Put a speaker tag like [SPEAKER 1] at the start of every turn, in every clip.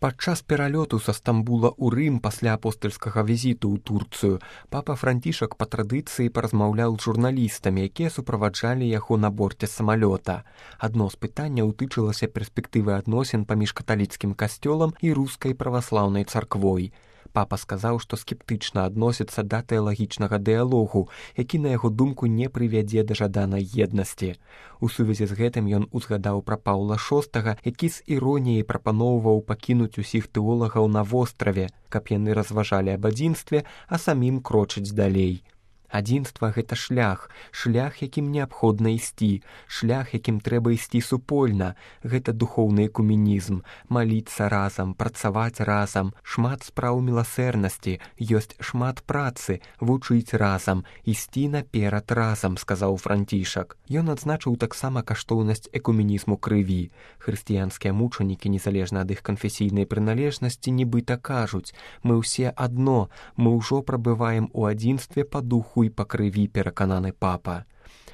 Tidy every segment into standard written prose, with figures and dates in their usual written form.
[SPEAKER 1] Падчас пералёту са Стамбула ў Рым пасля апостальскага візіту ў Турцыю папа Францішак па традыцыі паразмаўляў з журналістамі, якія суправаджалі яго на борце самалёта. Адно з пытанняў тычылася перспектывы адносін паміж каталіцкім касцёлам і рускай праваслаўнай царквой. Папа сказаў, што скептычна адносіцца да тэалагічнага дыялогу, які, на яго думку, не прывядзе да жаданай еднасці. У сувязі з гэтым ён узгадаў пра Паўла VI, які з іроніяй прапаноўваў пакінуць усіх тэолагаў на востраве, каб яны разважалі аб адзінстве, а самім крочыць далей. Адзінства – гэта шлях, якім неабходна ісці, шлях, якім трэба ісці супольна. Гэта духоўны экуменізм, маліцца разам, працаваць разам, шмат спраў міласэрнасці, ёсць шмат працы, вучыць разам, ісці наперад разам, сказаў Францішак. Ён адзначыў таксама каштоўнасць экуменізму крыві. Хрысціянскія мучанікі, незалежна ад іх канфесійнай прыналежнасці, нібыта кажуць: мы ўсе адно, мы ўжо прабываем у адзінстве па духу і па крыві, перакананы папа.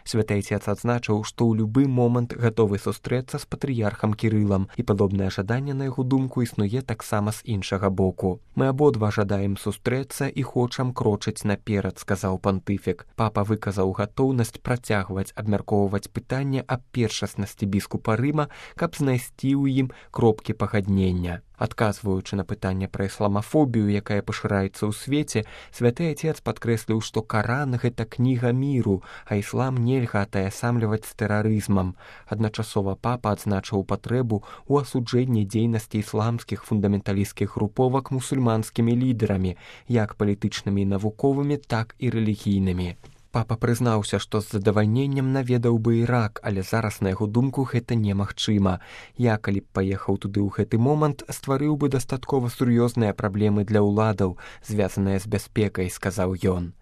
[SPEAKER 1] Святы Айцец адзначыў, што ў любы момант гатовы сустрэцца з патрыярхам Кірылам, і падобнае жаданне, на яго думку, існуе таксама з іншага боку. Мы абодва жадаем сустрэцца і хочам крочыць наперад, сказаў пантыфік. Папа выказаў гатоўнасць працягваць абмяркоўваць пытанне аб першаснасці біскупа Рыма, каб знайсці ў ім кропкі пагаднення. Адказваючы на пытанне пра ісламафобію, якая пашыраецца ў свеце, святы Айцец падкрэсліў, што Каран – гэта кніга міру, а іслам нельга атаясамліваць з тэрарызмам. Адначасова папа адзначыў патрэбу ў асуджэнні дзейнасці ісламскіх фундаменталісцкіх груповак мусульманскімі лідарамі, як палітычнымі і навуковымі, так і рэлігійнымі. Папа прызнаўся, што з задавальненнем наведаў бы Ірак, але зараз, на яго думку, гэта немагчыма. Я, калі б паехаў туды ў гэты момант, стварыў бы дастаткова сур'ёзныя праблемы для ўладаў, звязаныя з бяспекай, сказаў ён.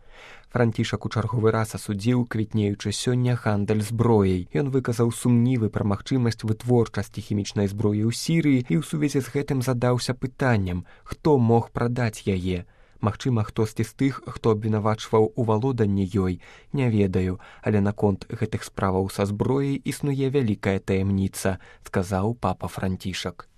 [SPEAKER 1] Францішак у чарговы раз асудзіў квітнеючы сёння гандаль зброяй. Ён выказаў сумнівы пра магчымасць вытворчасці хімічнай зброі ў Сірыі і ў сувязі з гэтым задаўся пытаннем, хто мог прадаць яе. Магчыма, хтосьці з тых, хто абвінавачваў у валоданні ёй, не ведаю, але наконт гэтых справаў са зброяй існуе вялікая таямніца, сказаў папа Францішак.